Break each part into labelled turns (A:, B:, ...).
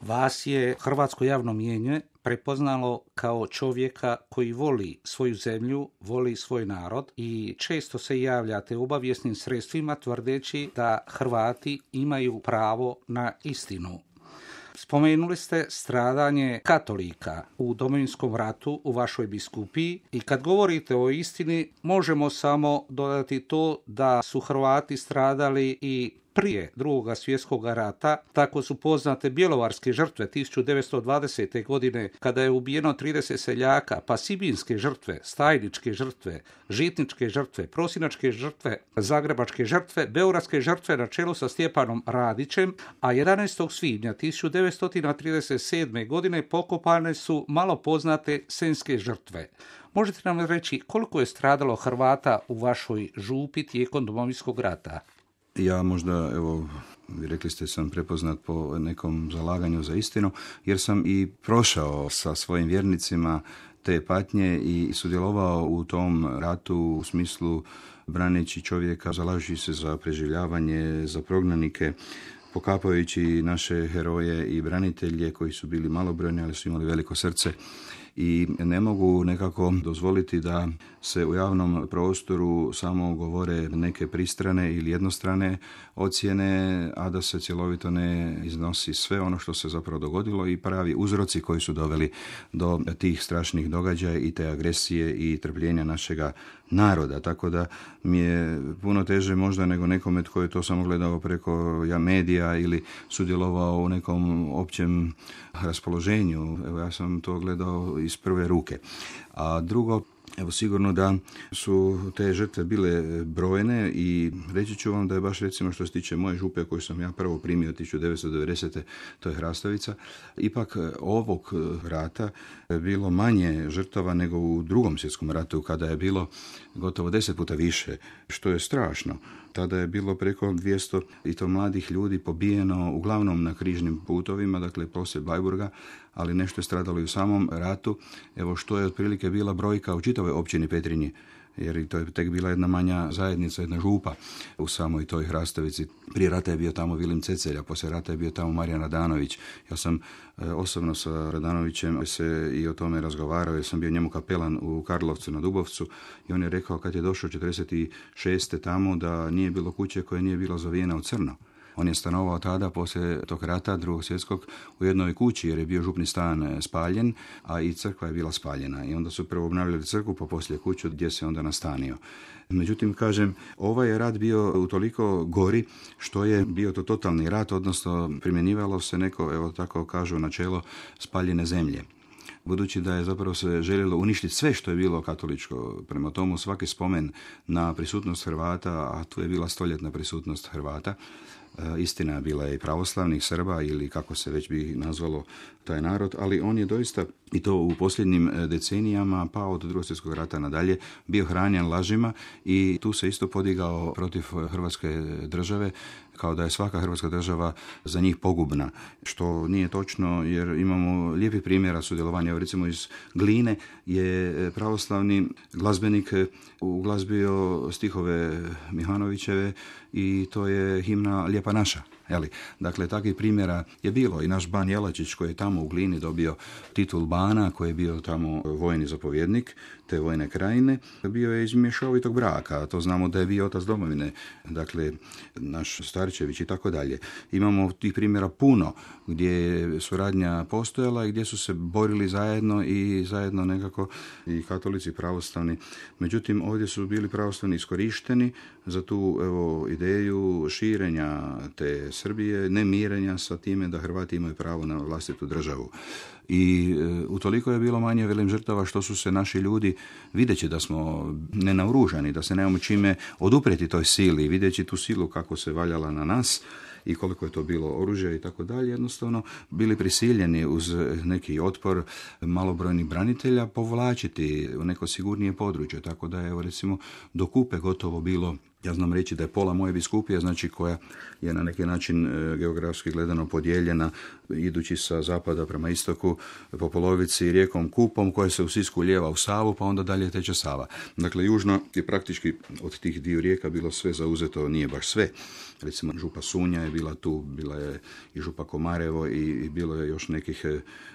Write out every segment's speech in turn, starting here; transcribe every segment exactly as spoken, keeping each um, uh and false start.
A: Vas je hrvatsko javno mnijenje prepoznalo kao čovjeka koji voli svoju zemlju, voli svoj narod i često se javljate obavijesnim sredstvima tvrdeći da Hrvati imaju pravo na istinu. Spomenuli ste stradanje katolika u Domovinskom ratu u vašoj biskupiji i kad govorite o istini možemo samo dodati to da su Hrvati stradali i prije Drugog svjetskog rata. Tako su poznate bjelovarske žrtve tisuću devetsto dvadesete. godine kada je ubijeno trideset seljaka, pa sibinske žrtve, stajničke žrtve, žitničke žrtve, prosinačke žrtve, zagrebačke žrtve, beogradske žrtve na čelu sa Stjepanom Radićem, a jedanaestog svibnja tisuću devetsto trideset sedme. godine pokopane su malo poznate senjske žrtve. Možete nam reći koliko je stradalo Hrvata u vašoj župi tijekom Domovinskog rata?
B: Ja možda, evo, vi rekli ste sam prepoznat po nekom zalaganju za istinu, jer sam i prošao sa svojim vjernicima te patnje i sudjelovao u tom ratu u smislu braneći čovjeka, zalažući se za preživljavanje, za prognanike, pokapajući naše heroje i branitelje koji su bili malobrojni, ali su imali veliko srce. I ne mogu nekako dozvoliti da se u javnom prostoru samo govore neke pristrane ili jednostrane ocjene, a da se cjelovito ne iznosi sve ono što se zapravo dogodilo i pravi uzroci koji su doveli do tih strašnih događaja i te agresije i trpljenja našega naroda. Tako da mi je puno teže možda nego nekome tko je to samo gledao preko ja, medija ili sudjelovao u nekom općem raspoloženju. Evo, ja sam to gledao iz prve ruke. A drugo, evo sigurno da su te žrtve bile brojne i reći ću vam da je baš recimo što se tiče moje župe koju sam ja prvo primio tisuću devetsto devedesete. to je Hrastovica, ipak ovog rata bilo manje žrtava nego u Drugom svjetskom ratu kada je bilo gotovo deset puta više, što je strašno. Tada je bilo preko dvjesto i to mladih ljudi pobijeno uglavnom na križnim putovima, dakle poslije Bleiburga, ali nešto je stradalo i u samom ratu. Evo što je otprilike bila brojka u čitavoj općini Petrinji, jer to je tek bila jedna manja zajednica, jedna župa u samoj toj Hrastovici. Prije rata je bio tamo Vilim Cecelja, poslije rata je bio tamo Marijan Radanović. Ja sam e, osobno sa Radanovićem se i o tome razgovarao, jer sam bio njemu kapelan u Karlovcu na Dubovcu i on je rekao kad je došao četrdeset šeste. tamo da nije bilo kuće koja nije bila zavijena u crno. On je stanovao tada, poslije tog rata, Drugog svjetskog, u jednoj kući jer je bio župni stan spaljen, a i crkva je bila spaljena. I onda su prvo obnavljali crkvu, pa poslije kuću gdje se onda nastanio. Međutim, kažem, ovaj je rat bio utoliko gori što je bio to totalni rat, odnosno primjenjivalo se neko, evo tako kažu, načelo spaljene zemlje. Budući da je zapravo se željelo uništiti sve što je bilo katoličko, prema tomu svaki spomen na prisutnost Hrvata, a tu je bila stoljetna prisutnost Hrvata, istina je bila i pravoslavnih Srba ili kako se već bi nazvalo taj narod, ali on je doista i to u posljednjim decenijama, pa od Drugog svjetskog rata nadalje, bio hranjen lažima i tu se isto podigao protiv Hrvatske države, kao da je svaka Hrvatska država za njih pogubna, što nije točno jer imamo lijepi primjera sudjelovanja. Evo recimo iz Gline je pravoslavni glazbenik uglazbio stihove Mihanovićeve i to je himna Lijepa naša. Jeli? Dakle, takvih primjera je bilo i naš ban Jelačić koji je tamo u Glini dobio titul bana, koji je bio tamo vojni zapovjednik te vojne krajine, bio je iz mješovitog braka, to znamo da je bio otac domovine, dakle, naš Starčević i tako dalje. Imamo tih primjera puno gdje je suradnja postojala i gdje su se borili zajedno i zajedno nekako i katolici i pravoslavni. Međutim, ovdje su bili pravoslavni iskorišteni za tu evo, ideju širenja te Srbije, ne mirenja sa time da Hrvati imaju pravo na vlastitu državu. I e, utoliko je bilo manje velim žrtava što su se naši ljudi, videći da smo nenaoružani, da se nemamo čime odupreti toj sili, videći tu silu kako se valjala na nas i koliko je to bilo oružja i tako dalje, jednostavno bili prisiljeni uz neki otpor malobrojnih branitelja povlačiti u neko sigurnije područje, tako da je evo recimo do Kupe gotovo bilo, ja znam reći da je pola moje biskupije, znači koja je na neki način e, geografski gledano podijeljena idući sa zapada prema istoku po polovici rijekom Kupom koja se u Sisku lijeva u Savu, pa onda dalje teče Sava. Dakle, južno je praktički od tih dviju rijeka bilo sve zauzeto, nije baš sve. Recimo, župa Sunja je bila tu, bila je i župa Komarevo i, i bilo je još nekih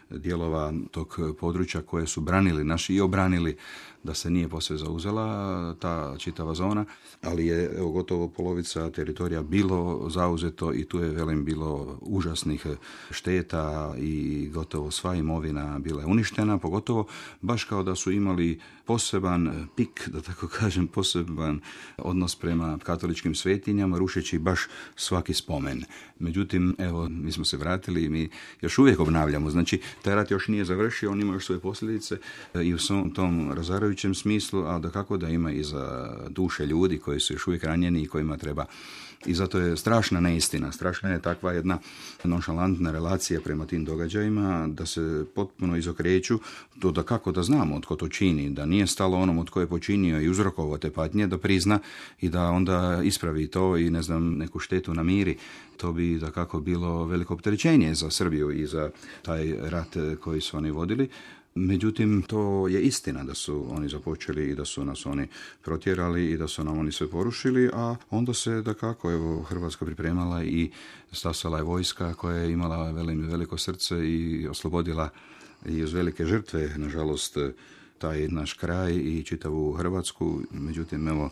B: dijelova tog područja koje su branili naši i obranili da se nije posve zauzela ta čitava zona, ali je evo, gotovo polovica teritorija bilo zauzeto i tu je, velim, bilo užasnih šteta i gotovo sva imovina bila je uništena, pogotovo baš kao da su imali poseban pik, da tako kažem, poseban odnos prema katoličkim svetinjama, rušeći baš svaki spomen. Međutim, evo, mi smo se vratili i mi još uvijek obnavljamo. Znači, taj rat još nije završio, on ima još svoje posljedice i u svom tom razarajućem smislu, a da kako da ima i za duše ljudi koji su još uvijek ranjeni i kojima treba. I zato je strašna neistina, strašna je takva jedna nonšalantna relacija prema tim događajima, da se potpuno izokreću, to da kako da znamo od ko to čini, da nije stalo onom od ko je počinio i uzrokovao te patnje, da prizna i da onda ispravi to i ne znam, neku štetu namiri. To bi da kako bilo veliko opterećenje za Srbiju i za taj rat koji su oni vodili. Međutim, to je istina da su oni započeli i da su nas oni protjerali i da su nam oni sve porušili, a onda se da kako, evo, Hrvatska pripremala i stasala je vojska koja je imala velim, veliko srce i oslobodila i uz velike žrtve, nažalost, taj naš kraj i čitavu Hrvatsku. Međutim, evo,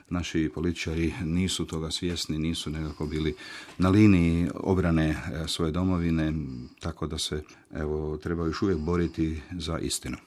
B: naši političari nisu toga svjesni, nisu nekako bili na liniji obrane svoje domovine, tako da se, evo, treba još uvijek boriti za istinu.